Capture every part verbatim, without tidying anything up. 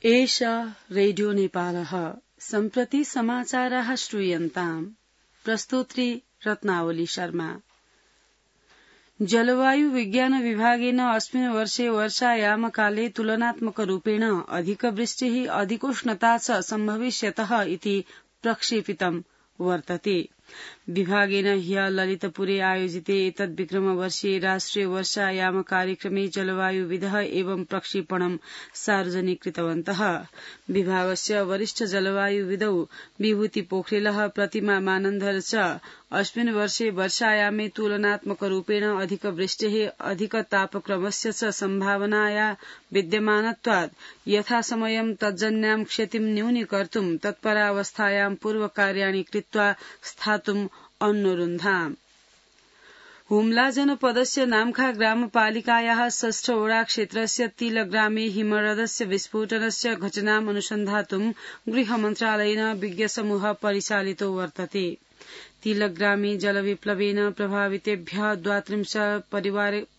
एषा रेडियो नेपालः सम्प्रति समाचाराः श्रूयन्ताम्। प्रस्तोत्री रत्नावली शर्मा। जलवायु विज्ञान विभागेन अस्मिन् वर्षे वर्षायामकाले तुलनात्मकरूपेण अधिकवृष्टिः अधिकोष्णता च सम्भविष्यतः इति प्रक्षेपितम् वर्तते। विभागेन ह्यः ललितपुरे आयोजिते एतद्विक्रमवर्षीये राष्ट्रिय वर्षायाम कार्यक्रमे जलवायुविदः एवं प्रक्षेपणं सार्वजनिकृतवन्तः। विभागस्य वरिष्ठ जलवायुविदौ विभूति पोखरेलः प्रतिमा मानन्धर च अस्मिन् वर्षे वर्षायामे तुलनात्मकरूपेण अधिकवृष्टेः अधिकतापक्रमस्य च सम्भावनाया विद्यमानत्वात् यथासमयं तज्जन्यां क्षतिं न्यूनीकर्तुं तत्परावस्थायां पूर्वकार्याणि कृत्वा स्थातुम् अनुरुन्धाम्। हुम्ला जनपदस्य नाम्खा ग्रामपालिकायाः षष्ठ ओडा क्षेत्रस्य तिलग्रामे हिमरदस्य विस्फोटनस्य घटनाम् अनुसन्धातुं गृहमन्त्रालयेन विज्ञसमूहः परिचालितो वर्तते। तिलग्रामे जलविप्लवेन प्रभावितेभ्यः द्वात्रिंशत्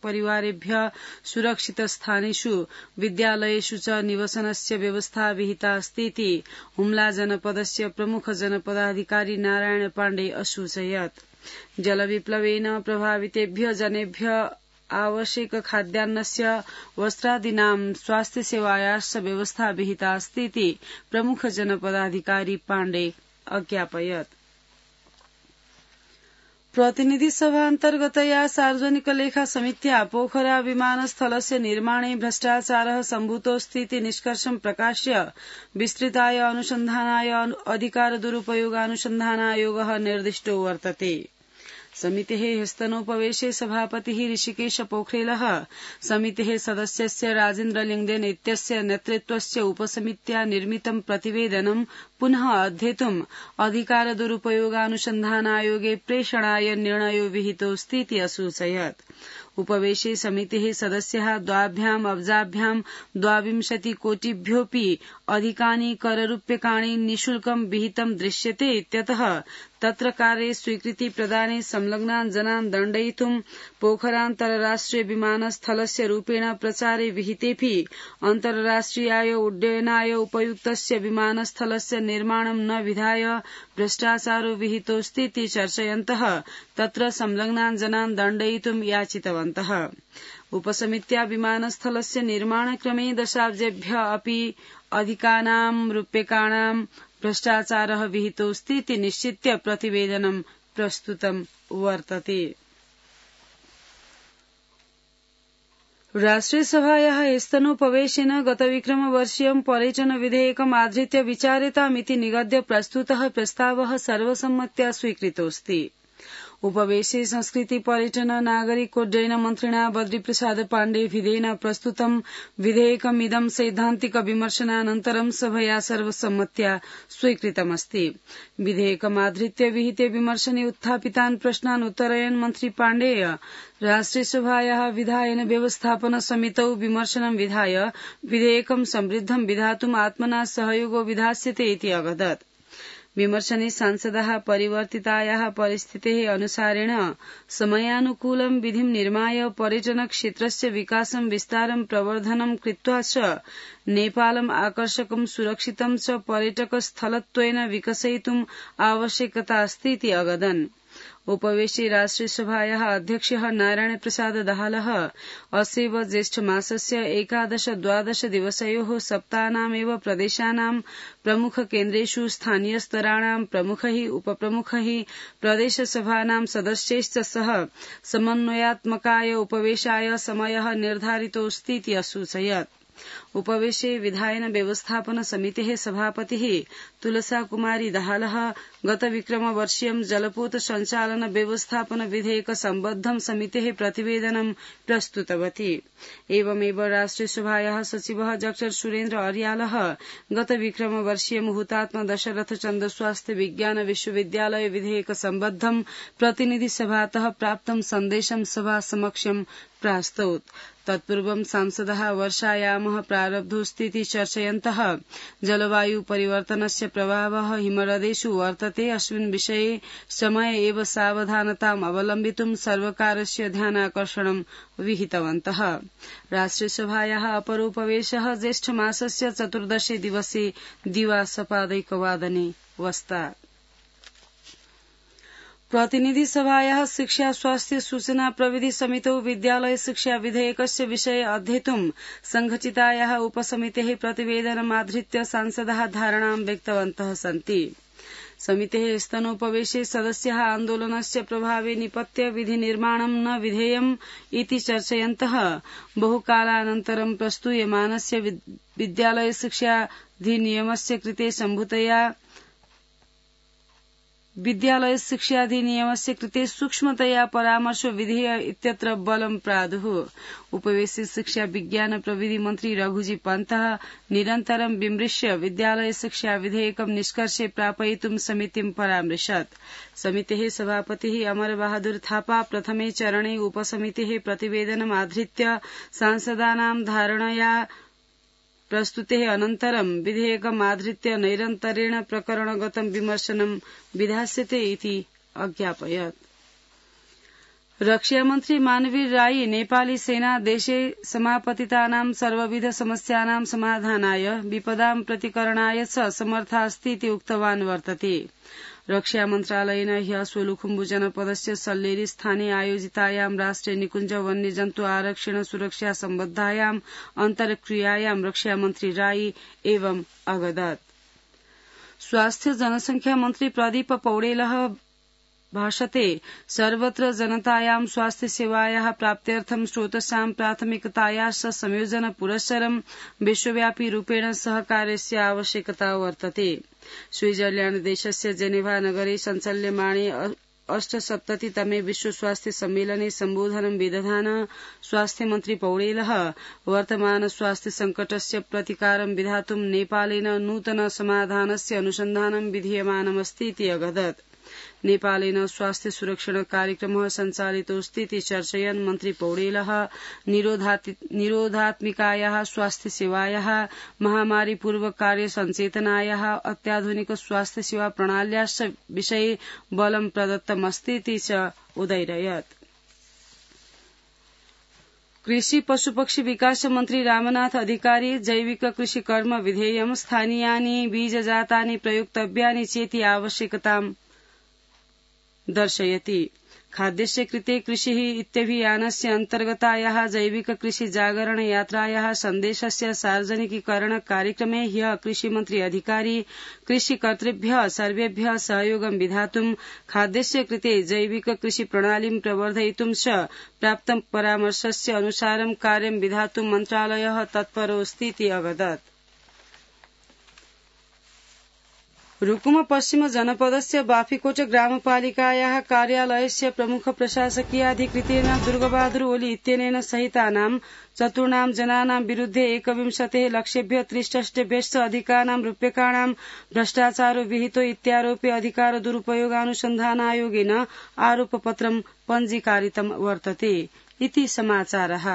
परिवारेभ्यः सुरक्षितस्थानेषु विद्यालयेषु च निवसनस्य व्यवस्था विहिता अस्तीति हुम्ला जनपदस्य प्रमुख जनपदाधिकारी नारायण पाण्डे असूचयत्। जलविप्लवेन प्रभावितेभ्यः जनेभ्यः आवश्यक खाद्यान्नस्य वस्त्रादीनां स्वास्थ्यसेवायाश्च व्यवस्था विहिता अस्तीति प्रमुख जनपदाधिकारी पाण्डे अज्ञापयत्। प्रतिनिधि सभा अन्तर्गतया सार्वजनिक लेखा समित्या पोखरा विमानस्थलस्य निर्माणे भ्रष्टाचारः सम्भूतोऽस्तीति निष्कर्षं प्रकाश्य विस्तृताय अनुसन्धानाय अधिकार दुरुपयोगानुसन्धानायोगः निर्दिष्टो वर्तते। समितेः ह्यस्तनोपवेशे सभापतिः ऋषिकेश पोखरेलः समितेः सदस्यस्य राजेन्द्र लिङ्गदेन इत्यस्य नेतृत्वस्य उपसमित्या निर्मितं प्रतिवेदनं पुनः अध्येतुम् अधिकार दुरुपयोगानुसन्धानायोगे प्रेषणाय निर्णयो विहितोऽस्तीति असूचयत्। उपवेशे समितेः सदस्याः द्वाभ्याम् अब्जाभ्याम् द्वाविंशति कोटिभ्योऽपि अधिकानि कररूप्यकाणि निःशुल्कं विहितं दृश्यते इत्यतः तत्र कार्ये स्वीकृति प्रदाने संलग्नान् जनान् दण्डयितुं पोखरान्तरराष्ट्रिय विमानस्थलस्य रूपेण प्रचारे विहितेऽपि अन्तर्राष्ट्रियाय उड्डयनाय उपयुक्तस्य विमानस्थलस्य निर्माणं न विधाय भ्रष्टाचारो विहितोऽस्तीति चर्चयन्तः तत्र संलग्नान् जनान् दण्डयितुं याचितवन्तः। उपसमित्या विमानस्थलस्य निर्माणक्रमे दशाब्देभ्यः अपि अधिकानां रूप्यकाणां भ्रष्टाचारः विहितोऽस्तीति निश्चित्य प्रतिवेदनं प्रस्तुतं वर्तते। राष्ट्रियसभायाः स्तनोपवेशेन गतविक्रमवर्षीयं पर्यटन विधेयकम् आधृत्य विचार्यतामिति निगद्य प्रस्तुतः प्रस्तावः सर्वसम्मत्या स्वीकृतोऽस्ति। उपवेशे संस्कृति पर्यटन नागरिकोड्डयन मन्त्रिणा बद्रीप्रसाद पाण्डेभिधेन प्रस्तुतं विधेयकमिदं सैद्धान्तिक विमर्शनानन्तरं सभया सर्वसम्मत्या स्वीकृतमस्ति। विधेयकमाधृत्य विहिते विमर्शने उत्थापितान् प्रश्नान् उत्तरयन् मन्त्री पाण्डेय राष्ट्रियसभायाः विधायन व्यवस्थापन समितौ विमर्शनं विधाय विधेयकं समृद्धं विधातुम् आत्मना सहयोगो विधास्यते इति अवदत्। विमर्शने सांसदाः परिवर्तितायाः परिस्थितेः अनुसारेण समयानुकूलं विधिं निर्माय पर्यटन क्षेत्रस्य विकासं विस्तारं प्रवर्धनं कृत्वा च नेपालम् आकर्षकं सुरक्षितं च पर्यटकस्थलत्वेन विकसयितुम् आवश्यकता अस्तीति अवदन्। उपवेशे राष्ट्रियसभायाः अध्यक्षः नारायण प्रसाद दाहालः अस्यैव ज्येष्ठमासस्य एकादश द्वादश दिवसयोः सप्ताहनामेव प्रदेशानां प्रमुखकेन्द्रेषु स्थानीयस्तराणां प्रमुखैः उपप्रमुखैः प्रदेशसभानां सदस्यैश्च सह समन्वयात्मकाय उपवेशाय समयः निर्धारितोऽस्तीति असूचयत्। उपवेशे विधायन व्यवस्थापन समितेः सभापतिः तुलसा कुमारी दाहालः गतविक्रमवर्षीयं जलपोत संचालन व्यवस्थापन विधेयक सम्बद्धं समितेः प्रतिवेदनं प्रस्तुतवती। एवमेव राष्ट्रियसभायाः सचिवः डॉक्टर सुरेन्द्र अर्यालः गतविक्रमवर्षीयं हुतात्मा दशरथ चन्द्र स्वास्थ्य विज्ञान विश्वविद्यालय विधेयक सम्बद्धं प्रतिनिधि सभातः प्राप्तं सन्देशं सभा समक्षं प्रास्तौत्। तत्पूर्वं सांसदः वर्षायामः प्रारब्धोऽस्तीति चर्चयन्तः जलवायु परिवर्तनस्य प्रभावः हिमरदेषु वर्तते वर्तते। अस्मिन् विषये समय एव सावधानताम् अवलम्बितुं सर्वकारस्य ध्यानाकर्षणं विहितवन्तः। राष्ट्रियसभायाः अपरोपवेशः ज्येष्ठमासस्य चतुर्दशे दिवसे दिवासपादैकवादने वस्ता। प्रतिनिधि सभायाः शिक्षा स्वास्थ्य सूचना प्रविधि समितौ विद्यालय शिक्षा विधेयकस्य विषये अध्येतुं संघचितायाः उपसमितेः प्रतिवेदनमाधृत्य सांसदाः धारणां व्यक्तवन्तः सन्ति। समितेः स्तनोपवेशे सदस्याः आन्दोलनस्य प्रभावे निपत्य विधिनिर्माणं न विधेयम् इति चर्चयन्तः बहुकालानन्तरं प्रस्तूयमानस्य विद्यालय शिक्षाधिनियमस्य कृते सम्भूतया विद्यालय शिक्षाधिनियमस्य कृते सूक्ष्मतया परामर्श विधेय इत्यत्र बलं प्रादुः। उपवेशे शिक्षा विज्ञान प्रविधि मन्त्री रघुजी पन्तः निरन्तरं विमृश्य विद्यालय शिक्षा विधेयकं निष्कर्षे प्रापयितुं समितिं परामृशत्। समितेः सभापतिः अमरबहादुर थापा प्रथमे चरणे उपसमितेः प्रतिवेदनमाधृत्य सांसदानां धारणया प्रस्तुतेः अनन्तरं विधेयकमाधृत्य नैरन्तरेण प्रकरणगतं विमर्शनं विधास्यते इति अज्ञापयत्। रक्षामन्त्री मानवीर राई नेपाली सेना देशे समापतितानां सर्वविध समस्यानां समाधानाय विपदां प्रतिकरणाय च समर्था अस्ति इति उक्तवान् वर्तते। रक्षा मन्त्रालयेन ह्यः सोलुखुम्बु जनपदस्य सल्लेरी स्थाने आयोजितायां राष्ट्रिय निकुञ्ज वन्यजन्तु आरक्षण सुरक्षा सम्बद्धायां अन्तर्क्रियायां रक्षामन्त्री राई एवं अगदत्। स्वास्थ्य जनसंख्या मन्त्री प्रदीप पौडेलः भाषते सर्वत्र जनतायां स्वास्थ्य सेवायाः प्राप्त्यर्थं स्रोतसां प्राथमिकतायाश्च संयोजन पुरस्सरं विश्वव्यापी रूपेण सहकारस्य आवश्यकता वर्तते। स्विट्जरलैण्ड देशस्य जेनेवा नगरे सञ्चाल्यमाणे अष्टसप्ततितमे विश्व स्वास्थ्य सम्मेलने सम्बोधनं विदधानः स्वास्थ्य मन्त्री पौडेलः वर्तमान स्वास्थ्य संकटस्य प्रतिकारं विधातुं नेपालेन नूतन समाधानस्य अनुसन्धानं विधीयमानमस्ति इति अगदत्। नेपालेन स्वास्थ्य सुरक्षण कार्यक्रमः सञ्चालितोऽस्ति इति चर्चयन् मन्त्री पौडेलः निरोधात्मिकायाः स्वास्थ्य सेवायाः महामारी पूर्व कार्य सञ्चेतनायाः अत्याधुनिक स्वास्थ्य सेवा प्रणाल्याश्च विषये बलं प्रदत्तमस्ति इति च उदैरयत्। कृषि पशुपक्षी विकास मन्त्री रामनाथ अधिकारी जैविक कृषि कर्म विधेयं स्थानीयानि बीजजातानि प्रयोक्तव्यानि चेति आवश्यकतां दर्शयति। खाद्यस्य कृते कृषिः इत्यभियानस्य अन्तर्गतायाः जैविक कृषि जागरण यात्रायाः सन्देशस्य सार्वजनिकीकरण कार्यक्रमे ह्यः कृषिमन्त्री अधिकारी कृषिकर्तृभ्यः सर्वेभ्यः सहयोगं विधातुं खाद्यस्य कृते जैविक कृषि प्रणालीं प्रवर्धयितुं च प्राप्तं परामर्शस्य अनुसारं कार्यं विधातुं मन्त्रालयः तत्परोऽस्ति इति अवदत्। रुकुम पश्चिम जनपदस्य बाफीकोट ग्रामपालिकायाः कार्यालयस्य प्रमुख प्रशासकीयाधिकृतेन दुर्गबहादुर ओली इत्यनेन सहितानां चतुर्णां जनानां विरुद्धे एकविंशतेः लक्षेभ्यः त्रिषष्ट्यभ्यश्च अधिकानां रूप्यकाणां भ्रष्टाचारो विहितो इत्यारोप्य अधिकार दुरुपयोगानुसन्धानायोगेन आरोपपत्रं पञ्जीकारितं वर्तते इति समाचारः।